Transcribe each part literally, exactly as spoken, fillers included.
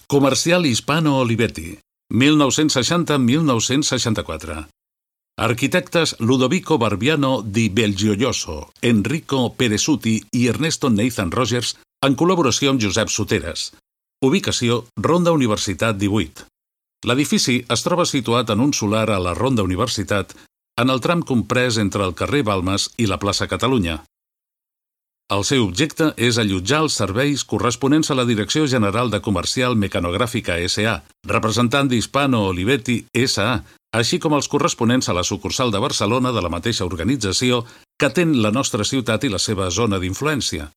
Comercial Hispano Olivetti, mil nou-cents seixanta a mil nou-cents seixanta-quatre. Arquitectes Ludovico Barbiano di Belgioioso, Enrico Peresuti i Ernesto Nathan Rogers en col·laboració amb Josep Soteres. Ubicació: Ronda Universitat divuit. L'edifici es troba situat en un solar a la Ronda Universitat, en el tram comprès entre el carrer Balmes i la plaça Catalunya. El seu objecte és allotjar els serveis corresponents a la Direcció General de Comercial Mecanogràfica S A, representant d'Hispano Olivetti S A, així com els corresponents a la sucursal de Barcelona de la mateixa organització que atén la nostra ciutat i la seva zona d'influència.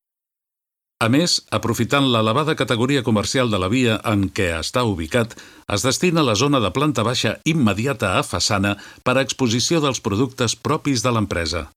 A més, aprofitant l'elevada categoria comercial de la via en què està ubicat, es destina la zona de planta baixa immediata a façana per a exposició dels productes propis de l'empresa.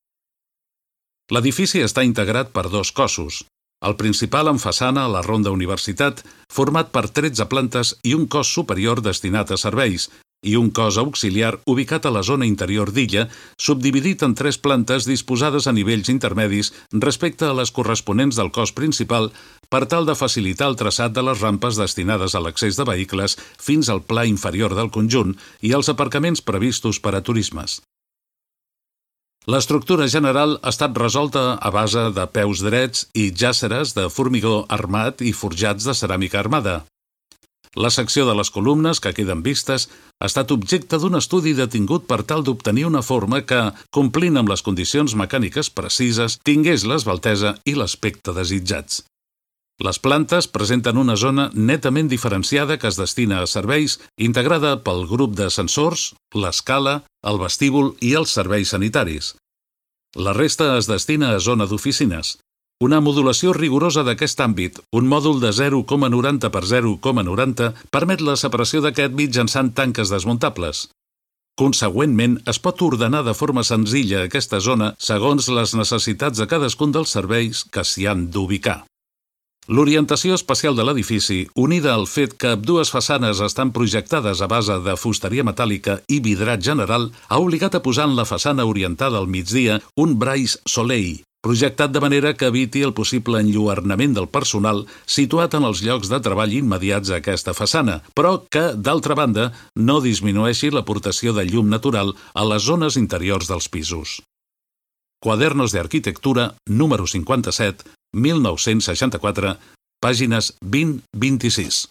L'edifici està integrat per dos cossos. El principal en façana a la Ronda Universitat, format per tretze plantes i un cos superior destinat a serveis, i un cos auxiliar ubicat a la zona interior d'illa, subdividit en tres plantes disposades a nivells intermedis respecte a les corresponents del cos principal per tal de facilitar el traçat de les rampes destinades a l'accés de vehicles fins al pla inferior del conjunt i els aparcaments previstos per a turismes. L'estructura general ha estat resolta a base de peus drets i jàsseres de formigó armat i forjats de ceràmica armada. La secció de les columnes que queden vistes ha estat objecte d'un estudi detingut per tal d'obtenir una forma que, complint amb les condicions mecàniques precises, tingués l'esveltesa i l'aspecte desitjats. Les plantes presenten una zona netament diferenciada que es destina a serveis, integrada pel grup d'ascensors, l'escala, el vestíbul i els serveis sanitaris. La resta es destina a zona d'oficines. Una modulació rigorosa d'aquest àmbit, un mòdul de zero coma noranta per zero coma noranta, permet la separació d'aquest mitjançant tanques desmuntables. Consegüentment, es pot ordenar de forma senzilla aquesta zona segons les necessitats de cadascun dels serveis que s'hi han d'ubicar. L'orientació espacial de l'edifici, unida al fet que ambdues façanes estan projectades a base de fusteria metàl·lica i vidrat general, ha obligat a posar en la façana orientada al migdia un braç soleil, projectat de manera que eviti el possible enlluernament del personal situat en els llocs de treball immediats a aquesta façana, però que, d'altra banda, no disminueixi l'aportació de llum natural a les zones interiors dels pisos. Quadernos de Arquitectura, número cinquanta-set, mil nou-cents seixanta-quatre, pàgines vint a vint-i-sis.